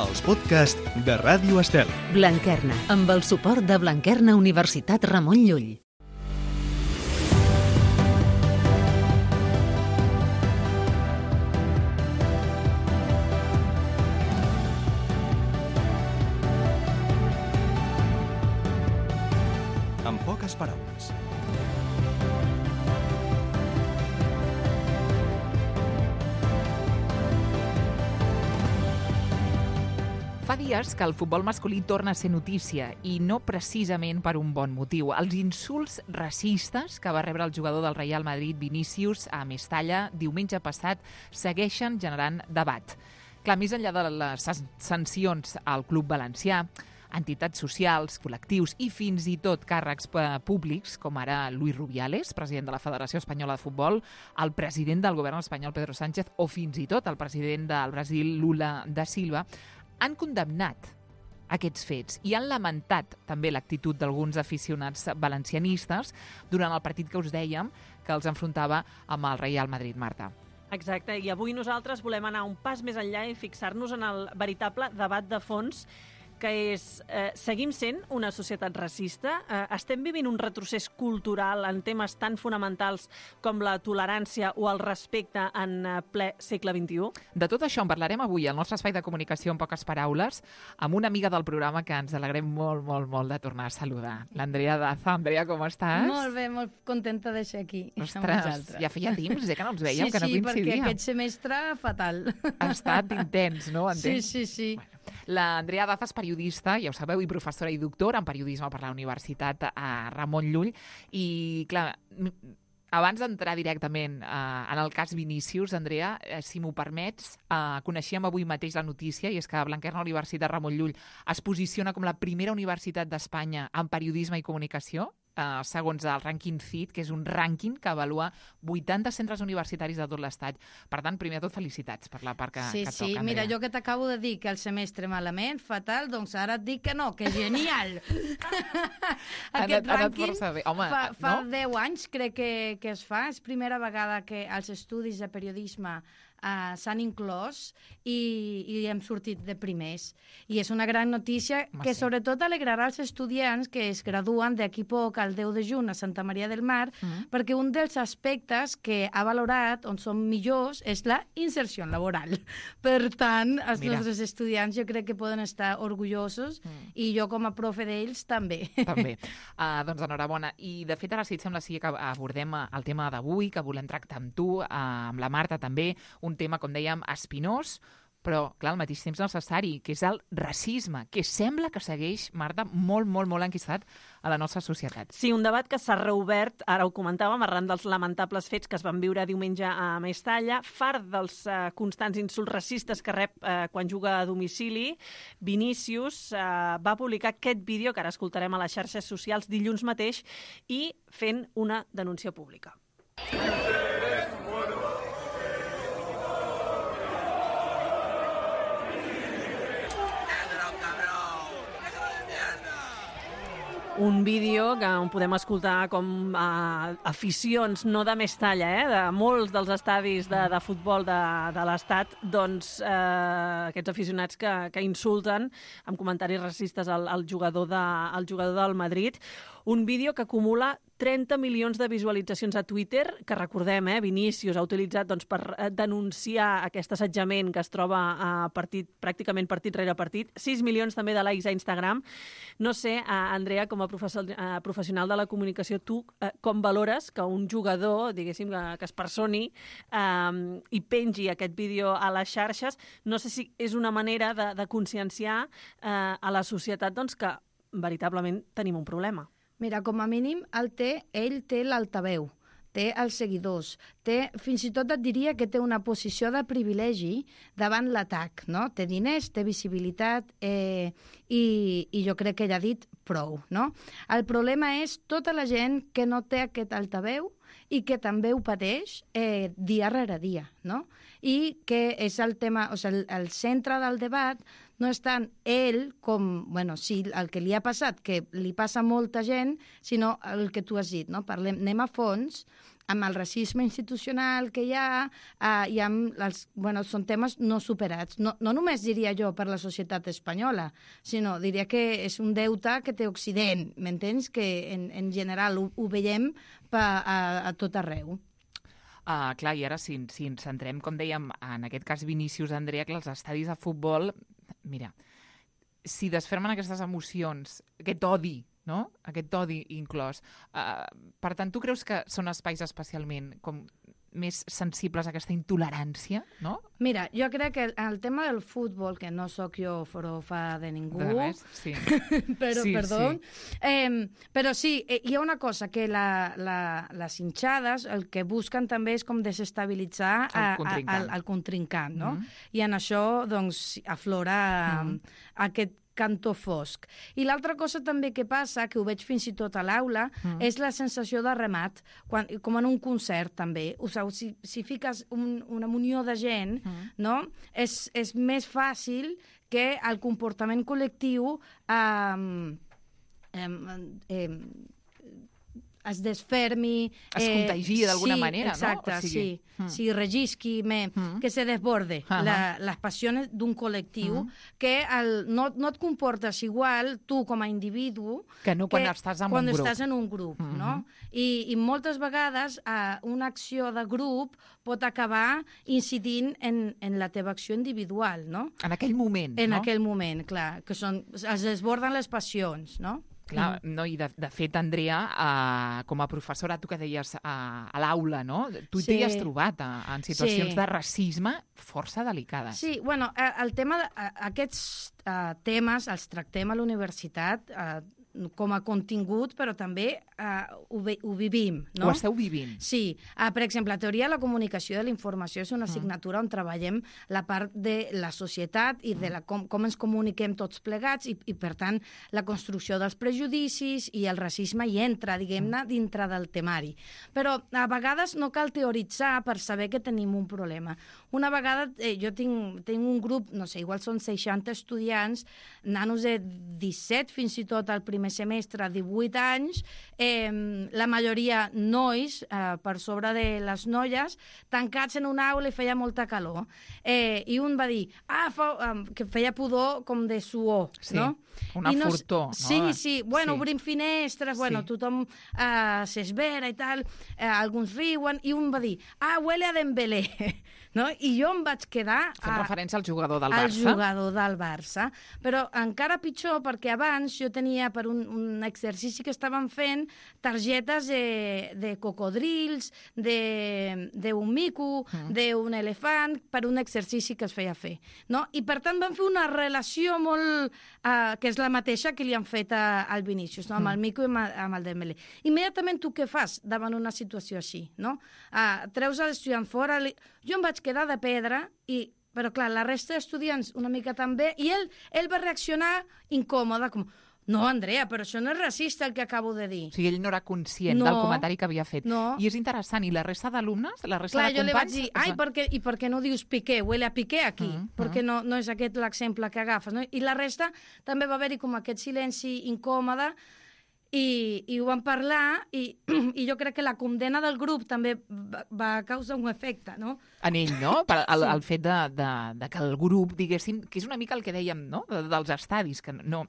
els podcasts de Ràdio Estel. Blanquerna, amb el suport de Blanquerna Universitat Ramon Llull. En poques paraules. Fa dies que el futbol masculí torna a ser notícia i no precisament per un bon motiu. Els insults racistes que va rebre el jugador del Real Madrid, Vinícius, a Mestalla diumenge passat segueixen generant debat. Clar, més enllà de les sancions al club valencià, entitats socials, col·lectius i fins i tot càrrecs públics, com ara Luis Rubiales, president de la Federació Espanyola de Futbol, el president del govern espanyol, Pedro Sánchez, o fins i tot el president del Brasil, Lula da Silva, han condemnat aquests fets i han lamentat també l'actitud d'alguns aficionats valencianistes durant el partit que us dèiem que els enfrontava amb el Real Madrid, Marta. Exacte, i avui nosaltres volem anar un pas més enllà i fixar-nos en el veritable debat de fons, que és, seguim sent una societat racista? Estem vivint un retrocés cultural en temes tan fonamentals com la tolerància o el respecte en ple segle XXI? De tot això en parlarem avui al nostre espai de comunicació en poques paraules amb una amiga del programa que ens alegrem molt, molt, molt de tornar a saludar. L'Andrea Daza. Andrea, com estàs? Molt bé, molt contenta de ser aquí. Ostres, ja feia temps que no ens veiem, que no coincidíem. Sí, coincidíem. perquè aquest semestre fatal. Ha estat intens, no? Entens? Sí. Bueno, l'Andrea Daza és periodista, ja ho sabeu, i professora i doctora en periodisme per la Universitat Ramon Llull. I, clar, abans d'entrar directament en el cas Vinícius, Andrea, si m'ho permets, coneixíem avui mateix la notícia, i és que Blanquerna Universitat Ramon Llull es posiciona com la primera universitat d'Espanya en periodisme i comunicació, segons el rànquing CIT, que és un rànquing que avalua 80 centres universitaris de tot l'estat. Per tant, primer de tot, felicitats per la part que toca, Andrea. Mira, jo que t'acabo de dir que el semestre malament, fatal, doncs ara et dic que no, que genial! Aquest rànquing fa 10 anys crec que es fa, és primera vegada que els estudis de periodisme s'han inclòs i hem sortit de primers. I és una gran notícia que sobretot alegrarà els estudiants que es graduen d'aquí poc al 10 de juny a Santa Maria del Mar, perquè un dels aspectes que ha valorat on són millors és la inserció laboral. Per tant, els nostres estudiants jo crec que poden estar orgullosos i jo com a profe d'ells també. També. Doncs enhorabona. I de fet ara, si et sembla, sí que abordem el tema d'avui, que volem tractar amb tu, amb la Marta també, un tema, com dèiem, espinós, però, clar, al mateix temps necessari, que és el racisme, que sembla que segueix, Marta, molt, molt, molt enquistat a la nostra societat. Sí, un debat que s'ha reobert, ara ho comentàvem, arran dels lamentables fets que es van viure diumenge a Mestalla, fart dels constants insults racistes que rep quan juga a domicili. Vinícius va publicar aquest vídeo, que ara escoltarem a les xarxes socials dilluns mateix, i fent una denúncia pública. Un vídeo que on podem escoltar com aficions, no de Mestalla, de molts dels estadis de futbol de l'Estat, doncs aquests aficionats que insulten amb comentaris racistes al jugador del Madrid. Un vídeo que acumula 30 milions de visualitzacions a Twitter, que recordem, Vinícius ha utilitzat per denunciar aquest assetjament que es troba pràcticament partit rere partit. 6 milions també de likes a Instagram. No sé, Andrea, com a professional de la comunicació, tu com valores que un jugador, diguéssim, que es personi i pengi aquest vídeo a les xarxes? No sé si és una manera de conscienciar a la societat que veritablement tenim un problema. Mira, com a mínim, ell té l'altaveu, té els seguidors, fins i tot et diria que té una posició de privilegi davant l'atac, no? Té diners, té visibilitat i jo crec que ella ha dit prou, no? El problema és tota la gent que no té aquest altaveu i que també ho pateix dia rere dia, no? I que és el tema, o sigui, el centre del debat no és tant ell com, sí, el que li ha passat, que li passa a molta gent, sinó el que tu has dit, no? Anem a fons, amb el racisme institucional que hi ha i amb són temes no superats. No només diria jo per la societat espanyola, sinó diria que és un deute que té Occident, m'entens? Que en general ho veiem a tot arreu. Clar, i ara si ens centrem, com dèiem, en aquest cas Vinícius, Andrea, que els estadis de futbol, mira, si desfermen aquestes emocions, aquest odi, no? Aquest odi inclòs. Per tant, tu creus que són espais especialment més sensibles a aquesta intolerància, no? Mira, jo crec que el tema del futbol, que no sóc jo forofa de ningú... De res, sí. Perdó. Però sí, hi ha una cosa, que les hinchades el que busquen també és com desestabilitzar el contrincant, no? I en això, doncs, aflora aquest cantó fosc. I l'altra cosa també que passa, que ho veig fins i tot a l'aula, és la sensació de remat, com en un concert també. O sigui, si fiques una munió de gent, no? És més fàcil que el comportament col·lectiu es desfermi... Es contagia d'alguna manera, exacte, no? Sí, sí, regisqui, que se desborde les passions d'un col·lectiu, que no et comportes igual tu com a individu que no quan estàs en un grup. Estàs en un grup, no? I moltes vegades una acció de grup pot acabar incidint en la teva acció individual, no? En aquell moment, no? En aquell moment, clar, que es desborden les passions, no? Clar, no? I de fet, Andrea, com a professora, tu que deies a l'aula, no? Tu t'hi has trobat en situacions de racisme força delicades. Sí, bueno, el tema aquests temes els tractem a la universitat com a contingut, però també ho vivim, no? Ho esteu vivint. Sí. Per exemple, la teoria de la comunicació de la informació és una assignatura on treballem la part de la societat i de com ens comuniquem tots plegats i, per tant, la construcció dels prejudicis i el racisme hi entra, diguem-ne, dintre del temari. Però a vegades no cal teoritzar per saber que tenim un problema. Una vegada jo tinc un grup, no sé, igual són 60 estudiants, nanos de 17 fins i tot al primer semestre, 18 anys, la majoria nois, per sobre de les noies, tancats en una aula i feia molta calor. I un va dir que feia pudor com de suor, no? Una furtor. Sí, bueno, obrim finestres, bueno, tothom s'esvera i tal, alguns riuen, i un va dir, huele a Dembélé, no? I jo em vaig quedar... Fent referència al jugador del Barça. Al jugador del Barça. Però encara pitjor, perquè abans jo tenia per un exercici que estàvem fent targetes de cocodrils, d'un mico, d'un elefant, per un exercici que es feia fer. No? I per tant vam fer una relació molt... que és la mateixa que li han fet al Vinícius, no? Amb el mico i amb el Dembélé. Immediatament tu què fas davant una situació així? No? Treus l'estudiant fora... Jo em vaig quedar de pedra, però clar, la resta d'estudiants una mica també, i ell va reaccionar incòmode, com... No, Andrea, però això no és racista el que acabo de dir. O sigui, ell no era conscient del comentari que havia fet. No. I és interessant. I la resta d'alumnes, la resta de companys... Clar, jo li vaig dir, per què no dius Piqué? Huele a Piqué aquí. Perquè no és aquest l'exemple que agafes. No? I la resta també va haver-hi com aquest silenci incòmode i ho vam parlar i jo crec que la condena del grup també va causar un efecte, no? En ell, no? El fet de que el grup, diguéssim, que és una mica el que dèiem, no? Dels estadis, que no...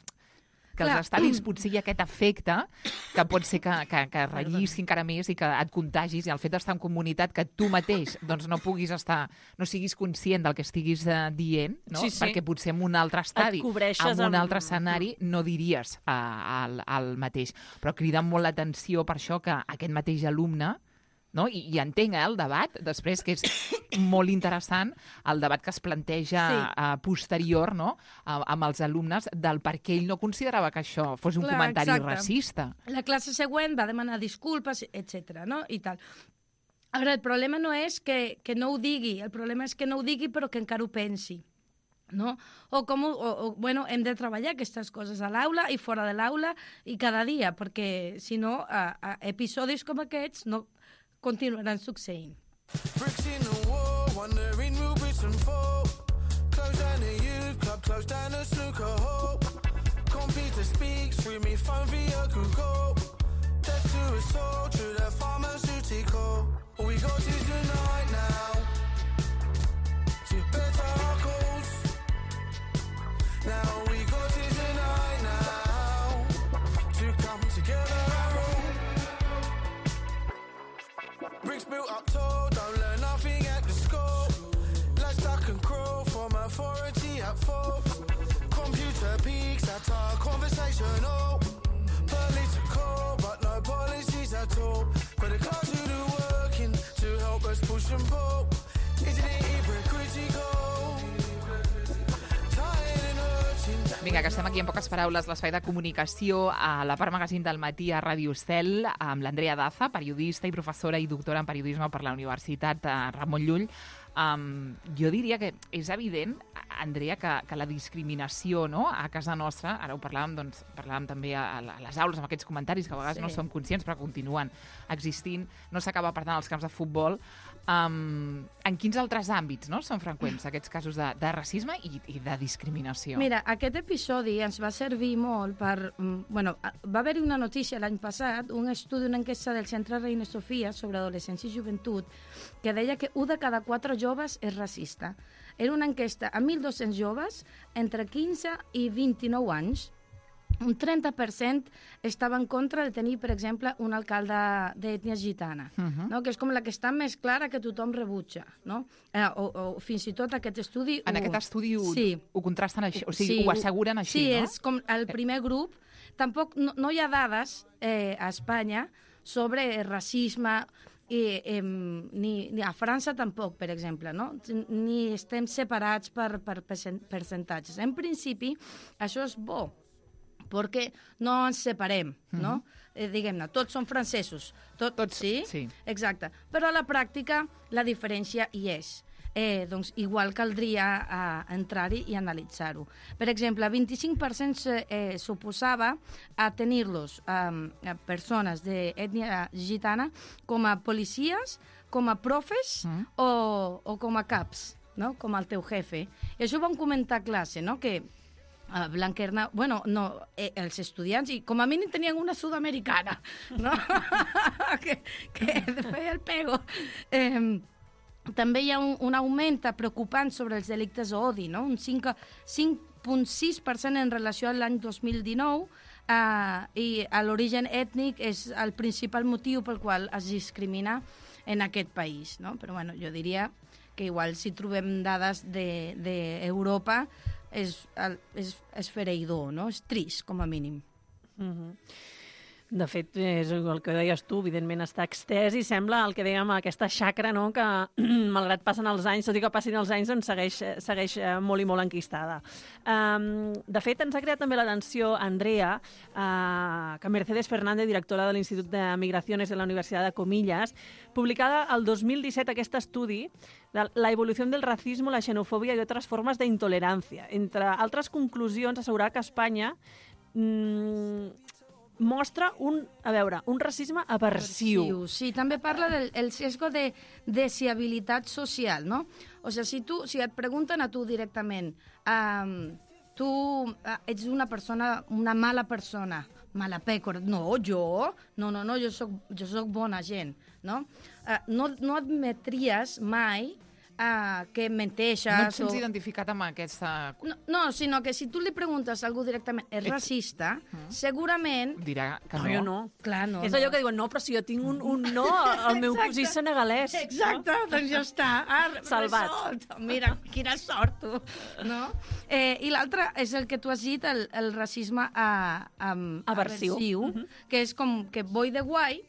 que els estadis potser hi ha aquest efecte que pot ser que rellisqui encara més i que et contagis, i el fet d'estar en comunitat que tu mateix doncs, no puguis estar, no siguis conscient del que estiguis dient, no? Sí. Perquè potser en un altre estadi, en un altre escenari, no diries el mateix. Però crida molt l'atenció per això que aquest mateix alumne, no? I entenc el debat, després, que és molt interessant, el debat que es planteja posterior, no? Amb els alumnes, del per què ell no considerava que això fos un comentari racista. La classe següent va demanar disculpes, etc. no? I tal. Ara, el problema no és que no ho digui, el problema és que no ho digui però que encara ho pensi. No? Bueno, hem de treballar aquestes coses a l'aula i fora de l'aula i cada dia, perquè si no, episodis com aquests no continuaran succeint. Bricks in the wall, wondering who bricks and fall. Close down the youth club, close down the snooker hole. Computer speaks, free me phone via Google. to a soul, to the pharmaceutical. We go to tonight now, to better our goals. Now we go to tonight now, to come together and roll. Bricks built up tall, don't learn nothing at the school. Let's duck and crawl from authority at fault. Computer peaks at our conversational. Political, but no policies at all. For the class who do working to help us push and pull. Isn't it hypocritical? Tired and hurting. Vinga, que estem aquí en poques paraules, l'espai de comunicació a la part magazín del matí a Ràdio Estel, amb l'Andrea Daza, periodista i professora i doctora en periodisme per la Universitat Ramon Llull. Jo diria que és evident, Andrea, que la discriminació, no?, a casa nostra, ara ho parlàvem també a les aules amb aquests comentaris que a vegades no som conscients però continuen existint, no s'acaba per tant als camps de futbol. En quins altres àmbits, no?, són freqüents aquests casos de racisme i de discriminació? Mira, aquest episodi ens va servir molt per... va haver-hi una notícia l'any passat, un estudi, una enquesta del Centre Reina Sofia sobre adolescència i joventut, que deia que 1 de cada 4 joves és racista. Era una enquesta a 1.200 joves entre 15 i 29 anys. Un 30% estava en contra de tenir, per exemple, un alcalde d'ètnia gitana, no? Que és com la que està més clara que tothom rebutja, no? O fins i tot aquest estudi... En aquest estudi ho contrasten així, o sigui, ho asseguren així, no? Sí, és com el primer grup. Tampoc no hi ha dades a Espanya sobre racisme, ni a França tampoc, per exemple, no? Ni estem separats per percentatges. En principi, això és bo, perquè no ens separem, no? Diguem-ne, tots són francesos. Tots, sí? Exacte. Però a la pràctica la diferència hi és. Doncs igual caldria entrar-hi i analitzar-ho. Per exemple, 25% s'oposava a tenir-los persones d'ètnia gitana com a policies, com a profes o com a caps, no? Com el teu jefe. I això ho vam comentar a classe, no? Que Blanquerna, els estudiants, i com a mínim tenien una sud-americana, no? que feia el pego. També hi ha un augment preocupant sobre els delictes d'odi, no? Un 5,6% en relació a l'any 2019, i l'origen ètnic és el principal motiu pel qual es discrimina en aquest país, no? Però jo diria que igual si trobem dades d'Europa és fereïdor, no? És trist, com a mínim. De fet, és el que deies tu, evidentment està extès i sembla el que dèiem, aquesta xacra, no?, que malgrat passen els anys, tot i que passin els anys, doncs segueix molt i molt enquistada. De fet, ens ha creat també l'atenció, Andrea, que Mercedes Fernández, directora de l'Institut de Migraciones de la Universitat de Comillas, publicada el 2017 aquest estudi de la evolució del racisme, la xenofòbia i altres formes d'intolerància. Entre altres conclusions, assegurar que Espanya mostra un racisme aversiu. Sí, també parla del sesgo de desigualtat social, no? O sigui, si et pregunten a tu directament, tu ets una mala persona, mala pècora. No, jo soc bona gent, no? No admetries mai que menteixes... No et sents identificat amb aquesta... No, sinó que si tu li preguntes a algú directament és racista, segurament... Dirà que no. Jo no. Clar, no. És allò que diuen, no, però si jo tinc un no, el meu cosí senegalès. Exacte, doncs ja està. Salvat. Mira, quina sort, tu. No? I l'altre és el que tu has dit, el racisme aversiu, que és com que voy de guai,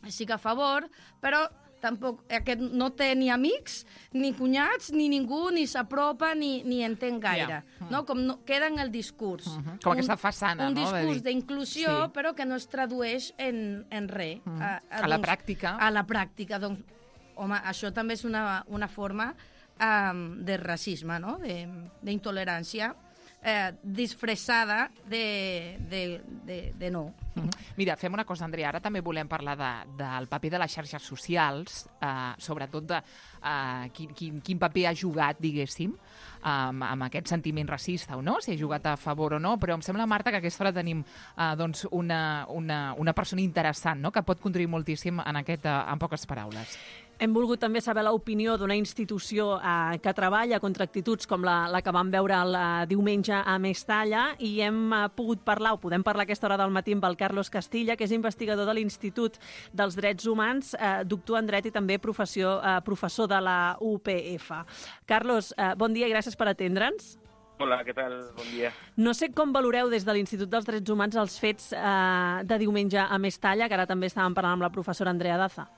estic a favor, però tampoc aquest no té ni amics, ni cunyats, ni ningú, ni s'apropa, ni entén gaire. No? Com queda en el discurs. Com aquesta façana, un no? discurs d'inclusió, però que no es tradueix en res. A la pràctica. A la pràctica. Doncs, home, això també és una forma de racisme, no? D'intolerància. disfressada de no. Mira, fem una cosa, Andrea, ara també volem parlar del paper de les xarxes socials, sobretot de quin paper ha jugat, diguéssim, amb aquest sentiment racista o no, si ha jugat a favor o no, però em sembla, Marta, que a aquesta hora tenim doncs una persona interessant, no?, que pot contribuir moltíssim en poques paraules. Hem volgut també saber l'opinió d'una institució que treballa contra actituds com la que vam veure el diumenge a Mestalla, i hem pogut parlar, o podem parlar a aquesta hora del matí, amb el Carlos Castilla, que és investigador de l'Institut dels Drets Humans, doctor en dret i també professor de la UPF. Carlos, bon dia i gràcies per atendre'ns. Hola, què tal? Bon dia. No sé com valoreu des de l'Institut dels Drets Humans els fets de diumenge a Mestalla, que ara també estàvem parlant amb la professora Andrea Daza.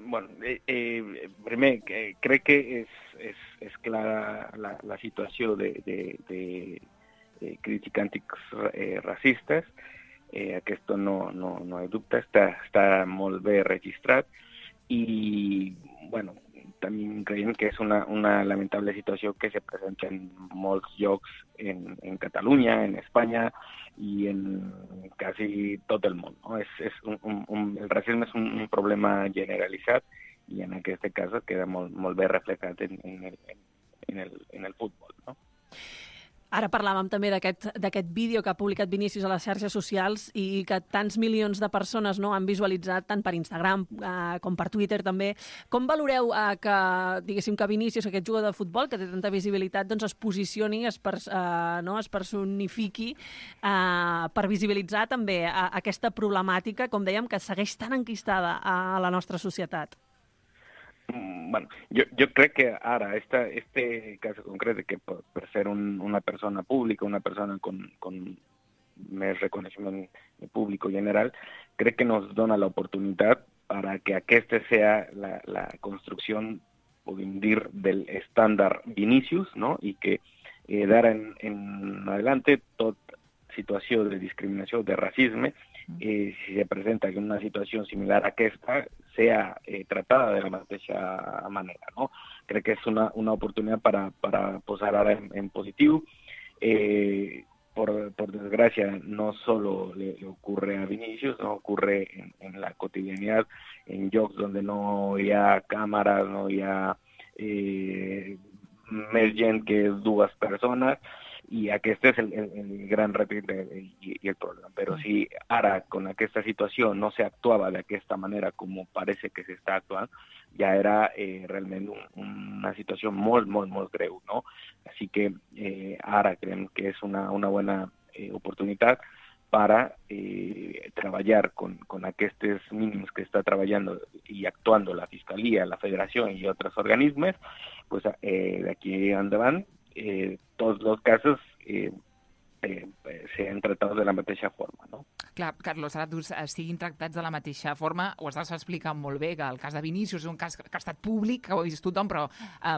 Bueno, primer, crec que és clara la situació de crítica antirracistes. Aquest no hi ha dubte, està molt bé registrat i, bueno, també creiem que és una lamentable situació que se presenta en molts llocs en Catalunya, en Espanya i en quasi tot el món, no? El racisme és un problema generalitzat i en aquest cas queda molt bé reflectat en el futbol, no? Ara parlàvem també d'aquest vídeo que ha publicat Vinícius a les xarxes socials i que tants milions de persones han visualitzat tant per Instagram com per Twitter també. Com valoreu que Vinícius, aquest jugador de futbol que té tanta visibilitat, doncs es posicioni, es personifiqui per visibilitzar també aquesta problemàtica, com dèiem, que segueix tan enquistada a la nostra societat? Bueno, yo creo que ahora este caso concreto, que por ser una persona pública, una persona con más reconocimiento público general, creo que nos dona la oportunidad para que aquesta sea la construcción, podem dir, del estándar Vinícius, ¿no? Y que d'ara en adelante tota situació de discriminació, de racisme, si se presenta una situació similar a aquesta, sea tratada de la mateixa manera, ¿no? Crec que és una oportunitat para posar ara en positiu. Por desgracia, no solo le ocurre a Vinícius, no ocurre en la cotidianidad, en llocs donde no hi ha càmeres, no hi ha més gent que dues persones, i aquest és el gran repte i el problema. Però si ara, con aquesta situació, no se actuava d'aquesta manera com parece que s'està actuant, ja era realment una situació molt greu, no? Així que ara creiem que és una bona oportunitat para trabajar con aquests mínims que está trabajando y actuando la Fiscalía, la Federación y otros organismos, pues de aquí endavant tots els casos s'han tractat de la mateixa forma, no? Clar, Carlos, ara tu siguin tractats de la mateixa forma, ho estàs explicant molt bé, que el cas de Vinícius és un cas que ha estat públic, que ho ha vist tothom, però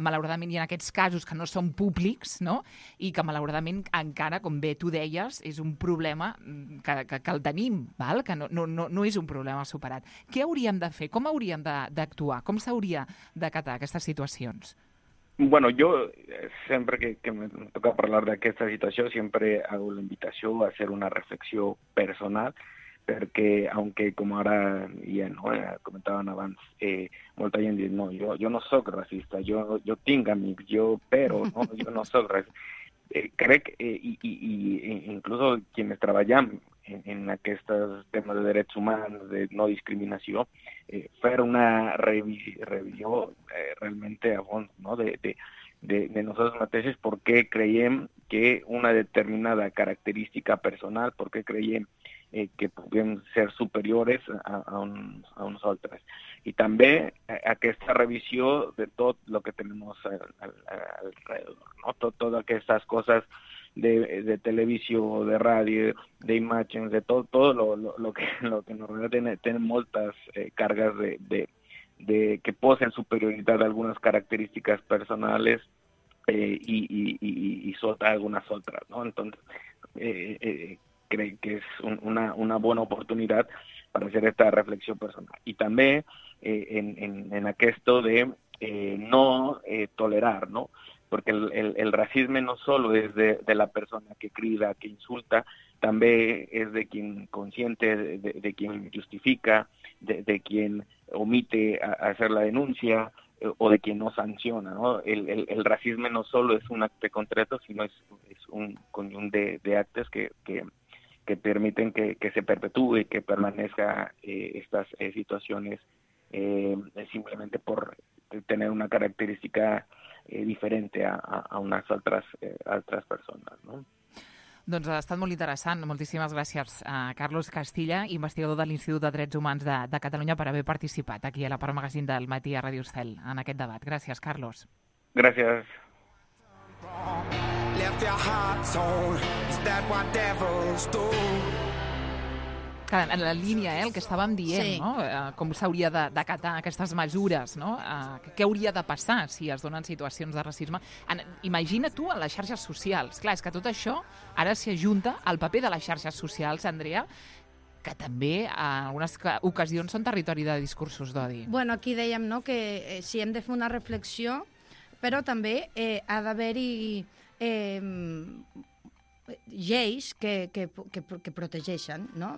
malauradament hi ha aquests casos que no són públics, no?, i que malauradament encara, com bé tu deies, és un problema que el tenim, val? Que no és un problema superat. Què hauríem de fer? Com hauríem d'actuar? Com s'hauria d'acatar aquestes situacions? Bueno, yo siempre que me toca hablar de esta situación, siempre hago la invitación a hacer una reflexión personal, porque aunque como ahora ya no comentaban abans, molta gent diu, no, yo no soy racista, yo tinc amics, pero no, yo no soy racista. Crec y incluso quienes treballem en aquests temes de drets humans, de no discriminació, fer una revisió realmente a fons, ¿no? de nosotros mateixos, por qué creiem que una determinada característica personal, por qué creiem que podem ser superiores a uns altres. I també aquesta revisió de tot el que tenemos alrededor, ¿no? Todas aquestes cosas de televisió, de ràdio, d'imatges, de todo lo que normalment tenen moltes cargas de que posen superioritat a algunas características personales y sota algunas otras, ¿no? Entonces, creo que es una buena oportunidad para hacer esta reflexión personal. Y también en aquesto de no tolerar, ¿no? porque el racismo no solo es de la persona que crida, que insulta, también es de quien consiente, de quien justifica, de quien omite a hacer la denuncia, o de quien no sanciona, ¿no? El racismo no solo es un acto concreto, sino es un conjunto de actos que permiten que se perpetúe, que permanezca estas situaciones simplemente por tener una característica diferente a unes altres persones, no? Doncs ha estat molt interessant. Moltíssimes gràcies a Carlos Castilla, investigador de l'Institut de Drets Humans de Catalunya, per haver participat aquí a la Part Magazine del Matí a Ràdio Estel en aquest debat. Gràcies, Carlos. Gràcies. Left your heart torn, is that what devils do? En la línia, el que estàvem dient, sí, no? Com s'hauria d'acatar aquestes mesures, no? Què hauria de passar si es donen situacions de racisme? Imagina tu en les xarxes socials. Clar, és que tot això ara s'hi ajunta al paper de les xarxes socials, Andrea, que també en algunes ocasions són territori de discursos d'odi. Bueno, aquí dèiem, no?, que si hem de fer una reflexió, però també ha d'haver-hi lleis que protegeixen, no?,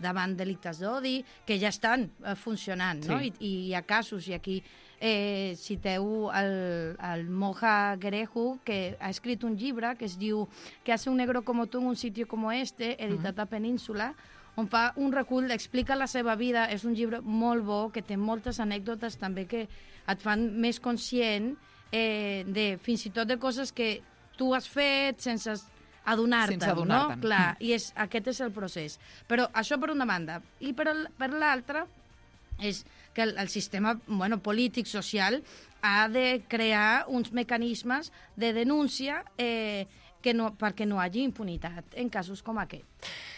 davant delictes d'odi, que ja estan funcionant, no? Sí. I hi ha casos, i aquí citeu el Moja Gereju, que ha escrit un llibre que es diu «¿Qué hace un negro como tú en un sitio como este?», editat a Península, on fa un recull, explica la seva vida. És un llibre molt bo, que té moltes anècdotes també que et fan més conscient de fins i tot de coses que tu has fet sense adonar-te'n, no? Clar, i aquest és el procés. Però això per una banda. I per l'altra és que el sistema polític, social, ha de crear uns mecanismes de denúncia perquè no hi hagi impunitat en casos com aquest.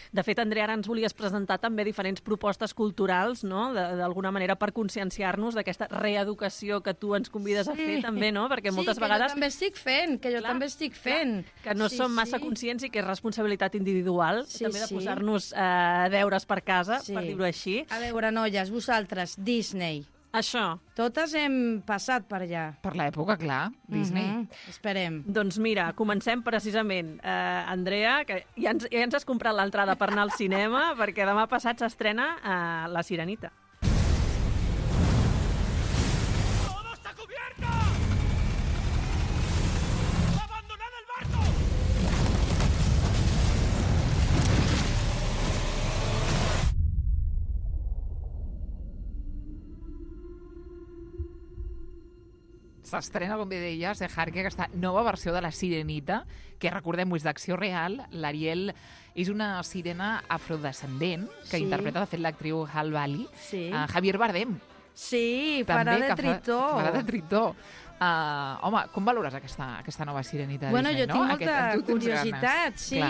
De fet, Andrea, ara ens volies presentar també diferents propostes culturals, no?, d'alguna manera per conscienciar-nos d'aquesta reeducació que tu ens convides a fer, també, no? Perquè moltes vegades... Sí, que jo també estic fent. Que no som massa conscients i que és responsabilitat individual, també de posar-nos deures per casa, per dir-ho així. A veure, noies, vosaltres, Disney. Això. Totes hem passat per allà. Per l'època, clar, Disney. Esperem. Doncs mira, comencem precisament. Andrea, que ja ens has comprat l'entrada per anar al cinema, perquè demà passat s'estrena La Sirenita. ¡Todo está cubierto! ¡Abandonad el barco! S'estrena, com bé deies, Harque, aquesta nova versió de La Sirenita, que recordem-ho, és d'acció real. L'Ariel és una sirena afrodescendent que interpreta, de fet, l'actriu Halle Bailey. Javier Bardem. Sí, farà de Tritó. Farà de Tritó. Home, com valores aquesta nova Sirenita de Disney? Jo tinc molta curiositat, sí.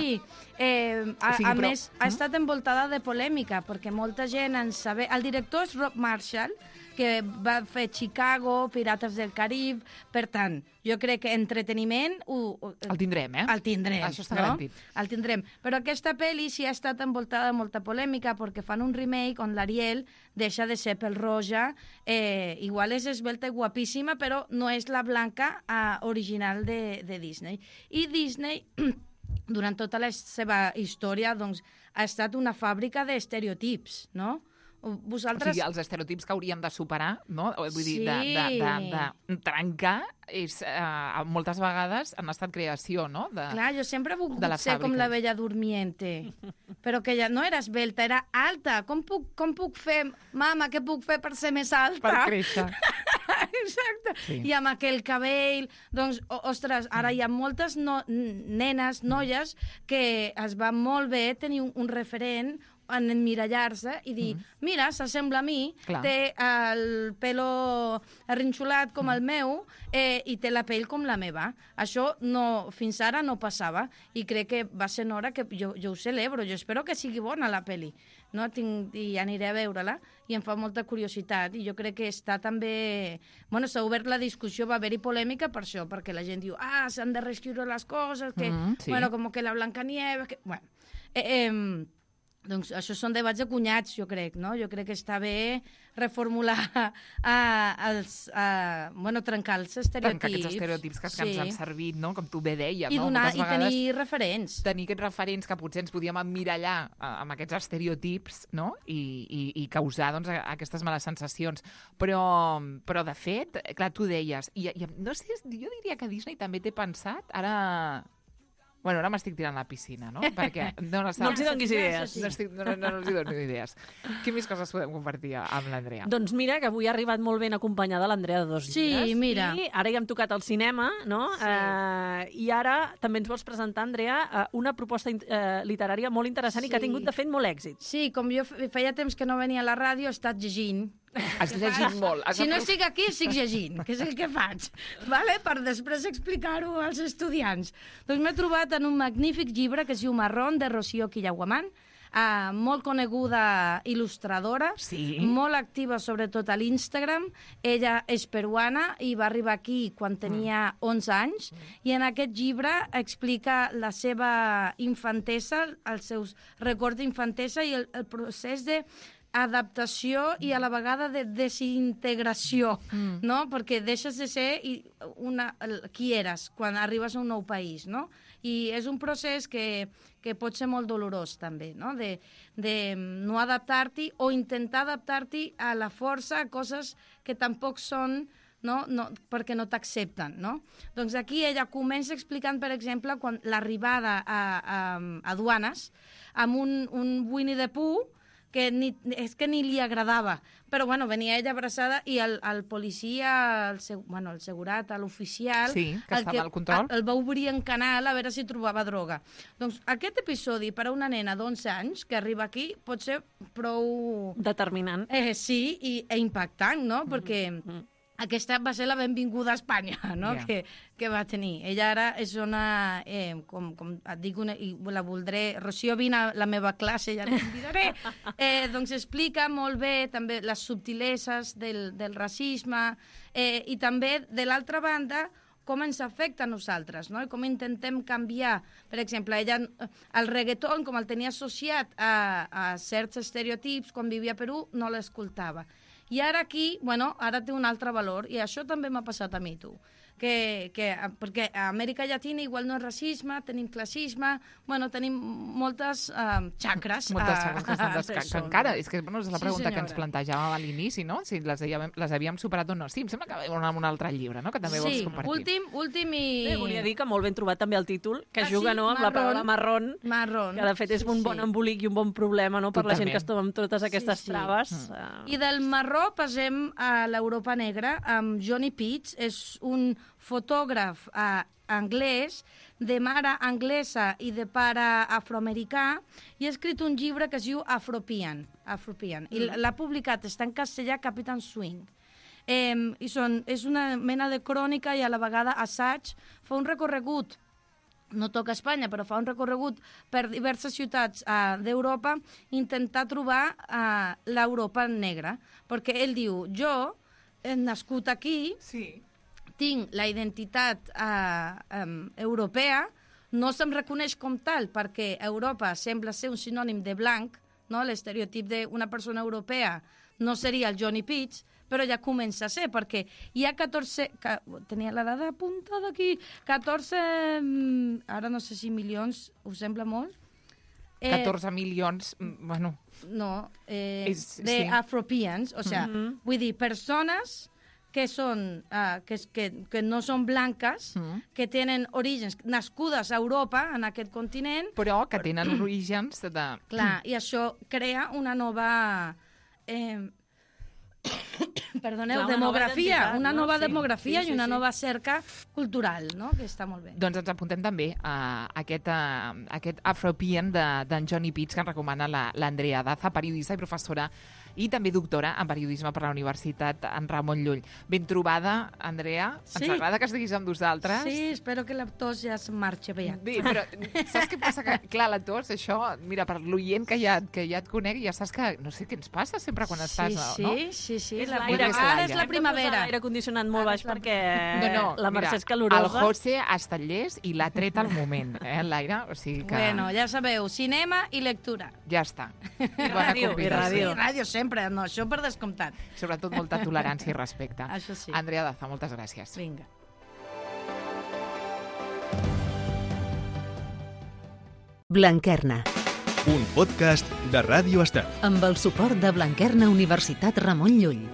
A més, ha estat envoltada de polèmica, perquè molta gent en saber... El director és Rob Marshall, que va fer Chicago, Pirates del Carib. Per tant, jo crec que entreteniment... El tindrem, El tindrem. Això està garantit. El tindrem. Però aquesta pel·li sí ha estat envoltada de molta polèmica, perquè fan un remake on l'Ariel deixa de ser pel-roja. Igual és esbelta i guapíssima, però no és la blanca original de Disney. I Disney, durant tota la seva història, doncs, ha estat una fàbrica d'estereotips, no? Vosaltres... O sigui, els estereotips que hauríem de superar, no? Vull dir, de trencar, moltes vegades han estat creació, no? Clar, jo sempre he volgut ser com la Bella Durmiente, però que ja no era esbelta, era alta. Com puc fer, mama, què puc fer per ser més alta? Per créixer. Exacte. Sí. I amb aquell cabell, doncs, ostres, ara hi ha moltes nenes, noies, que es va molt bé tenir un referent en emmirallar-se i dir, mira, s'assembla a mi, té el pelo arrinxolat com el meu i té la pell com la meva. Això fins ara no passava i crec que va ser hora que jo ho celebro. Jo espero que sigui bona la pel·li, no? I aniré a veure-la i em fa molta curiositat i jo crec que està també... Bueno, s'ha obert la discussió, va haver-hi polèmica per això, perquè la gent diu, s'han de reescriure les coses, que, bueno, com que la Blancanieves... Bueno, Doncs això són debats de cunyats, jo crec, no? Jo crec que està bé reformular, trencar els estereotips. Trencar aquests estereotips que ens han servit, no? Com tu bé deies, I no? I tenir referents. Tenir aquests referents que potser ens podíem emmirallar amb aquests estereotips, no? I causar, doncs, aquestes males sensacions. Però de fet, clar, tu deies, i no sé, jo diria que Disney també té pensat, Bueno, ara m'estic tirant a la piscina, no? Perquè no els hi donis idees. No els hi dono idees. Quines més coses podem compartir amb l'Andrea? Doncs mira, que avui ha arribat molt ben acompanyada l'Andrea de 2 llibres. Sí, mira. I ara ja hem tocat el cinema, no? Sí. I ara també ens vols presentar, Andrea, una proposta literària molt interessant i que ha tingut, de fet, molt èxit. Sí, com jo feia temps que no venia a la ràdio, he estat llegint. Has llegit molt. Si no estic aquí, estic llegint, que és el que faig, vale? Per després explicar-ho als estudiants. Doncs m'he trobat en un magnífic llibre que es diu Marrón, de Rocío Quillaguamán, molt coneguda il·lustradora, molt activa sobretot a l'Instagram. Ella és peruana i va arribar aquí quan tenia 11 anys i en aquest llibre explica la seva infantesa, els seus records d'infantesa i el procés de adaptació i a la vegada de desintegració, no? Perquè deixes de ser qui eres quan arribes a un nou país, no? I és un procés que pot ser molt dolorós també, no? De no adaptar-t'hi o intentar adaptar-t'hi a la força a coses que tampoc són, no, perquè no t'accepten, no? Doncs aquí ella comença explicant, per exemple, quan l'arribada a aduanes amb un Winnie the Pooh que és que ni li agradava. Però, bueno, venia ella abraçada i el policia, el segurat, l'oficial... Sí, que estava al control. El va obrir en canal a veure si trobava droga. Doncs aquest episodi per a una nena d'11 anys que arriba aquí pot ser prou... determinant. Sí, i impactant, no? Perquè... Aquesta va ser la benvinguda a Espanya, no? Yeah. Que va tenir. Ella ara és una, com et dic, i la voldré... Rocío, vine a la meva classe, ja la convidaré. Doncs explica molt bé també les subtileses del racisme i també, de l'altra banda, com ens afecta a nosaltres, no? I com intentem canviar. Per exemple, ella, el reggaeton, com el tenia associat a certs estereotips, quan vivia a Perú, no l'escoltava. I ara aquí, ara té un altre valor, i això també m'ha passat a mi, tu. Perquè a Amèrica Llatina igual no és racisme, tenim classisme, tenim moltes xacres. Moltes xacres que encara, és que és la pregunta que ens plantejàvem a l'inici, no? Si les havíem superat o no. Sí, em sembla que vam amb un altre llibre, no? Que també vols compartir. Últim i... Volia dir que molt ben trobat també el títol, que juga amb la paraula marrón, que de fet és un bon embolic i un bon problema per la gent que es troba amb totes aquestes traves. I del marró passem a l'Europa negra amb Johnny Pitts, és un fotògraf anglès, de mare anglesa i de pare afroamericà, i ha escrit un llibre que es diu Afropian. I l'ha publicat, està en castellà, Captain Swing. És una mena de crònica i a la vegada assaig. Fa un recorregut, no toca Espanya, però fa un recorregut per diverses ciutats d'Europa, intentar trobar l'Europa negra. Perquè ell diu, jo he nascut aquí, tinc la identitat europea, no se'm reconeix com tal perquè Europa sembla ser un sinònim de blanc, no? L'estereotip d'una persona europea no seria el Johnny Pitts, però ja comença a ser, perquè hi ha 14... tenia la dada apuntada aquí. 14... ara no sé si milions, us sembla molt? 14 milions, bueno... No, d'Afropeans, o sigui, vull dir, persones que no són blanques, que tenen orígens nascudes a Europa, en aquest continent... Però que tenen orígens de... Clar, i això crea una nova... demografia, una nova demografia i una nova cerca cultural, no? Que està molt bé. Doncs ens apuntem també a aquest Afropean d'en Johnny Pitts, que ens recomana l'Andrea Daza, periodista i professora i també doctora en periodisme per la Universitat en Ramon Llull. Ben trobada, Andrea. Sí. Ens agrada que estiguis amb nosaltres. Sí, espero que la tos ja es marxi aviat. Bé, però saps què passa? Que, clar, la tos, això, mira, per l'oient que ja et conegui, ja saps que no sé què ens passa sempre quan estàs, no? Sí. Ara és la primavera. L'aire condicionat molt baix perquè No, la Mercè mira, és calorosa. el José ha estat llest i l'ha tret al moment, l'aire. O sigui que... Bueno, ja sabeu, cinema i lectura. Ja està. ràdio, i ràdio. Sí, ràdio sempre, no, això per descomptat. Sobretot molta tolerància i respecte. Això sí. Andrea Daza, moltes gràcies. Vinga. Blanquerna, Un podcast de Ràdio Estel. amb el suport de Blanquerna Universitat Ramon Llull.